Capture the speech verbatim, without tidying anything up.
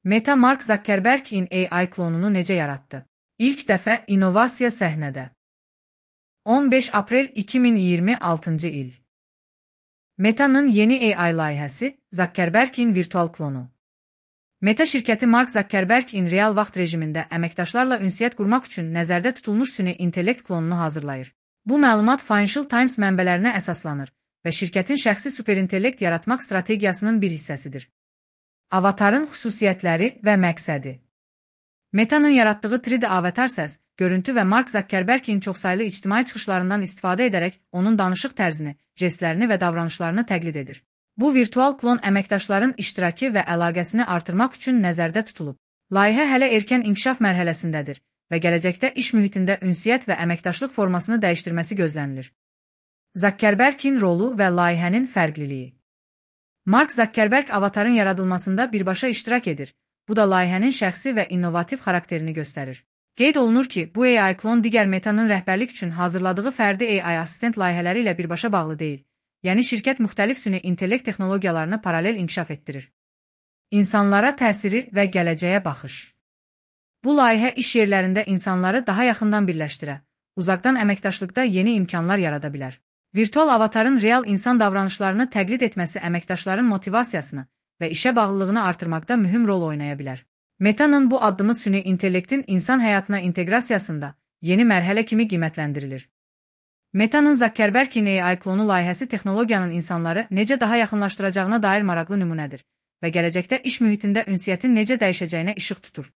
Meta Mark Zuckerberg'in A I klonunu necə yaratdı? İlk dəfə innovasiya səhnədə. on beş aprel iki min iyirmi altıncı il. Meta'nın yeni A I layihəsi Zuckerberg'in virtual klonu. Meta şirkəti Mark Zuckerberg'in real vaxt rejimində əməkdaşlarla ünsiyyət qurmaq üçün nəzərdə tutulmuş süni intellekt klonunu hazırlayır. Bu məlumat Financial Times mənbələrinə əsaslanır və şirkətin şəxsi superintellekt yaratmaq strategiyasının bir hissəsidir. Avatarın xüsusiyyətləri və məqsədi. Meta'nın yaratdığı üç D avatar səs, görüntü və Mark Zuckerberg'in çoxsaylı ictimai çıxışlarından istifadə edərək onun danışıq tərzini, jestlərini və davranışlarını təqlid edir. Bu virtual klon əməkdaşların iştirakı və əlaqəsini artırmaq üçün nəzərdə tutulub. Layihə hələ erkən inkişaf mərhələsindədir və gələcəkdə iş mühitində ünsiyyət və əməkdaşlıq formasını dəyişdirməsi gözlənilir. Zuckerberg'in rolu və layihənin fərqliliyi. Mark Zuckerberg avatarın yaradılmasında birbaşa iştirak edir. Bu da layihənin şəxsi və innovativ xarakterini göstərir. Qeyd olunur ki, bu A I klon digər Meta'nın rəhbərlik üçün hazırladığı fərdi A I assistent layihələri ilə birbaşa bağlı deyil. Yəni şirkət müxtəlif süni intellekt texnologiyalarını paralel inkişaf etdirir. İnsanlara təsiri və gələcəyə baxış. Bu layihə iş yerlərində insanları daha yaxından birləşdirə, uzaqdan əməkdaşlıqda yeni imkanlar yarada bilər. Virtual avatarın real insan davranışlarını təqlid etməsi əməkdaşların motivasiyasını və işə bağlılığını artırmaqda mühüm rol oynaya bilər. Meta'nın bu addımı süni intellektin insan həyatına inteqrasiyasında yeni mərhələ kimi qiymətləndirilir. Meta'nın Zuckerberg'in A I klonu layihəsi texnologiyanın insanları necə daha yaxınlaşdıracağına dair maraqlı nümunədir və gələcəkdə iş mühitində ünsiyyətin necə dəyişəcəyinə işıq tutur.